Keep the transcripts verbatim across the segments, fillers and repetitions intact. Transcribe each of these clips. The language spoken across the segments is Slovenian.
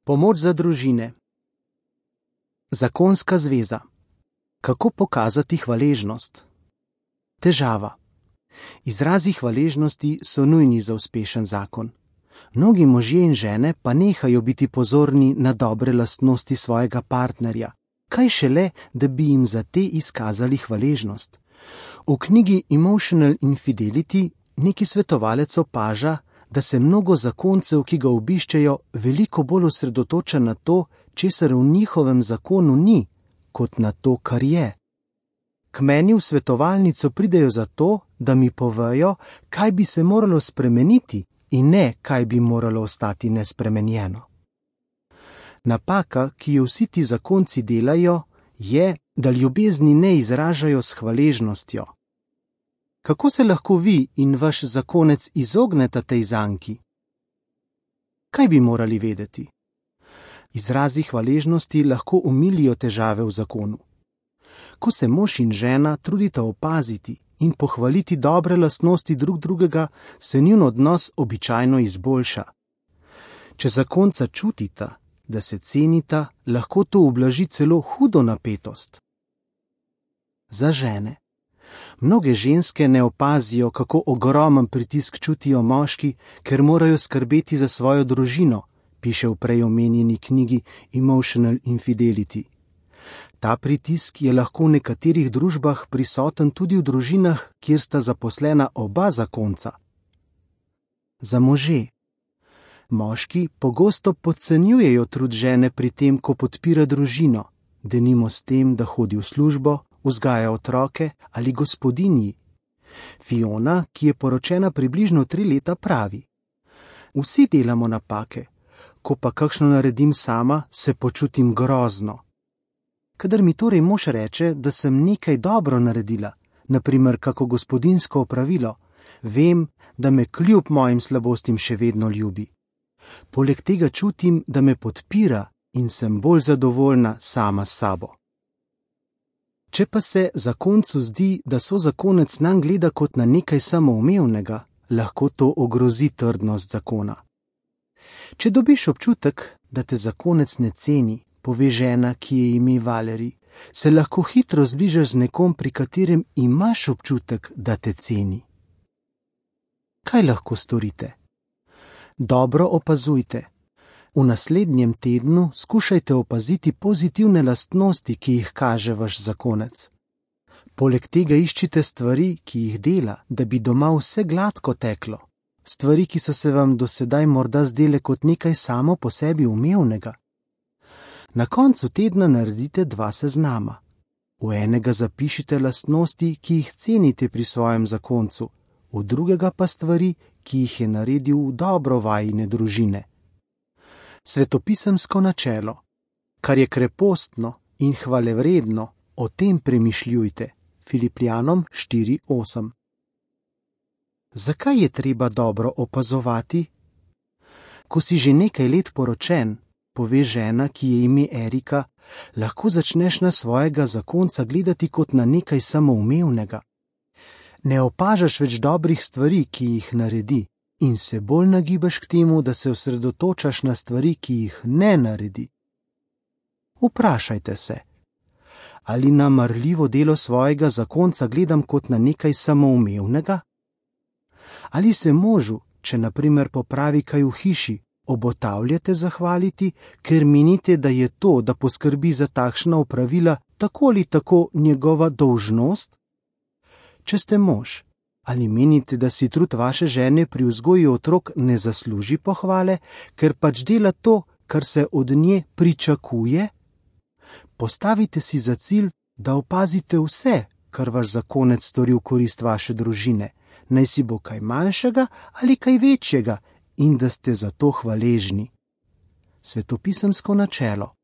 Pomoč za družine. Zakonska zveza. Kako pokazati hvaležnost? Težava. Izrazi hvaležnosti so nujni za uspešen zakon. Mnogi možje in žene pa nehajo biti pozorni na dobre lastnosti svojega partnerja. Kaj šele, da bi jim za te izkazali hvaležnost? V knjigi Emotional Infidelity neki svetovalec opaža, da se mnogo zakoncev, ki ga obiščejo, veliko bolj osredotoča na to, česar v njihovem zakonu ni, kot na to, kar je. K meni v svetovalnico pridejo zato, da mi povejo, kaj bi se moralo spremeniti in ne, kaj bi moralo ostati nespremenjeno. Napaka, ki jo vsi ti zakonci delajo, je, da ljubezni ne izražajo s hvaležnostjo. Kako se lahko vi in vaš zakonec izogneta tej zanki? Kaj bi morali vedeti? Izrazi hvaležnosti lahko omilijo težave v zakonu. Ko se mož in žena trudita opaziti in pohvaliti dobre lastnosti drug drugega, se njun odnos običajno izboljša. Če zakonca čutita, da se cenita, lahko to ublaži celo hudo napetost. Za žene. Mnoge ženske ne opazijo, kako ogromen pritisk čutijo moški, ker morajo skrbeti za svojo družino, piše v prej omenjeni knjigi Emotional Infidelity. Ta pritisk je lahko v nekaterih družbah prisoten tudi v družinah, kjer sta zaposlena oba zakonca. Za može. Moški pogosto podcenjujejo trud žene pri tem, ko podpira družino, denimo s tem, da hodi v službo, vzgaja otroke ali gospodinji. Fiona, ki je poročena približno tri leta, pravi: Vsi delamo napake, ko pa kakšno naredim sama, se počutim grozno. Kadar mi torej mož reče, da sem nekaj dobro naredila, na primer kako gospodinjsko opravilo, vem, da me kljub mojim slabostim še vedno ljubi. Poleg tega čutim, da me podpira in sem bolj zadovoljna sama s sabo. Če pa se zakoncu zdi, da sozakonec nanj gleda kot na nekaj samoumevnega, lahko to ogrozi trdnost zakona. Če dobiš občutek, da te zakonec ne ceni, pove žena, ki je ime Valeri, se lahko hitro zbližaš z nekom, pri katerem imaš občutek, da te ceni. Kaj lahko storite? Dobro opazujte. V naslednjem tednu skušajte opaziti pozitivne lastnosti, ki jih kaže vaš zakonec. Poleg tega iščite stvari, ki jih dela, da bi doma vse gladko teklo. Stvari, ki so se vam do sedaj morda zdele kot nekaj samo po sebi umevnega. Na koncu tedna naredite dva seznama. V enega zapišite lastnosti, ki jih cenite pri svojem zakoncu, v drugega pa stvari, ki jih je naredil v dobro vajine družine. Svetopisemsko načelo. Kar je krepostno in hvalevredno, o tem premišljujte. Filipljanom štiri osem. Zakaj je treba dobro opazovati? Ko si že nekaj let poročen, pove žena, ki je ime Erika, lahko začneš na svojega zakonca gledati kot na nekaj samoumevnega. Ne opažaš več dobrih stvari, ki jih naredi, in se bolj nagibaš k temu, da se osredotočaš na stvari, ki jih ne naredi. Vprašajte se, ali na marljivo delo svojega zakonca gledam kot na nekaj samoumevnega? Ali se možu, če na primer popravi kaj v hiši, obotavljate zahvaliti, ker menite, da je to, da poskrbi za takšna opravila, tako ali tako njegova dolžnost? Če ste mož, ali menite, da si trud vaše žene pri vzgoji otrok ne zasluži pohvale, ker pač dela to, kar se od nje pričakuje? Postavite si za cilj, da opazite vse, kar vaš zakonec stori v korist vaše družine, naj si bo kaj manjšega ali kaj večjega, in da ste za to hvaležni. Svetopisemsko načelo.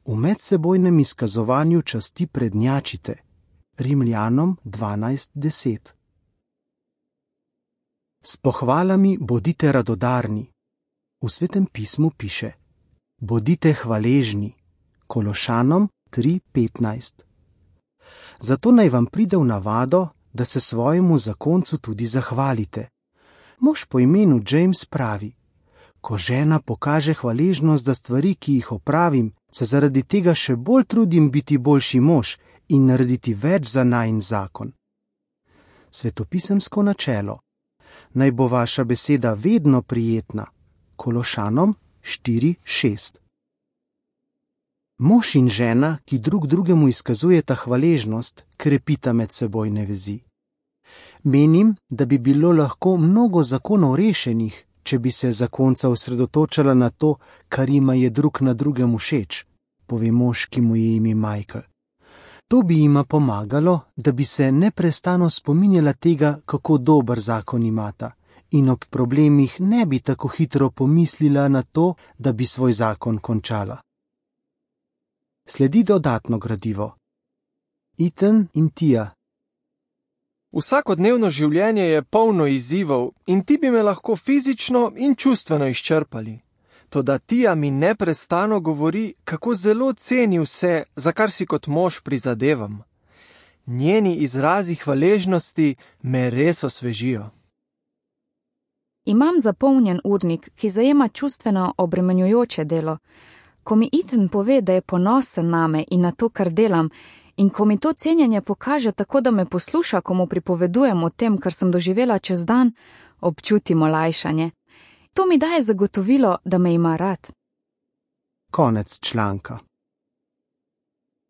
V medsebojnem izkazovanju časti prednjačite. Rimljanom dvanajst deset. S pohvalami bodite radodarni. V Svetem pismu piše: bodite hvaležni. Kološanom tri petnajst. Zato naj vam pride v navado, da se svojemu zakoncu tudi zahvalite. Mož po imenu James pravi: Ko žena pokaže hvaležnost za stvari, ki jih opravim, se zaradi tega še bolj trudim biti boljši mož in narediti več za najin zakon. Svetopisemsko načelo. Naj bo vaša beseda vedno prijetna. Kološanom štiri šest. Mož in žena, ki drug drugemu izkazujeta hvaležnost, krepita medsebojne vezi. Menim, da bi bilo lahko mnogo zakonov rešenih, če bi se zakonca osredotočala na to, kar jima je drug na drugem všeč, pove mož, ki mu je ime Michael. To bi jima pomagalo, da bi se neprestano spominjala tega, kako dober zakon imata, in ob problemih ne bi tako hitro pomislila na to, da bi svoj zakon končala. Sledi dodatno gradivo. Ethan in Tia. Vsakodnevno življenje je polno izzivov in ti bi me lahko fizično in čustveno izčrpali. Toda Tia mi neprestano govori, kako zelo ceni vse, za kar si kot mož prizadevam. Njeni izrazi hvaležnosti me res osvežijo. Imam zapolnjen urnik, ki zajema čustveno obremenjujoče delo. Ko mi Ethan pove, da je ponosen name in na to, kar delam, in ko mi to cenjenje pokaže tako, da me posluša, ko mu pripovedujem o tem, kar sem doživela čez dan, občutim olajšanje. To mi daje zagotovilo, da me ima rad. Konec članka.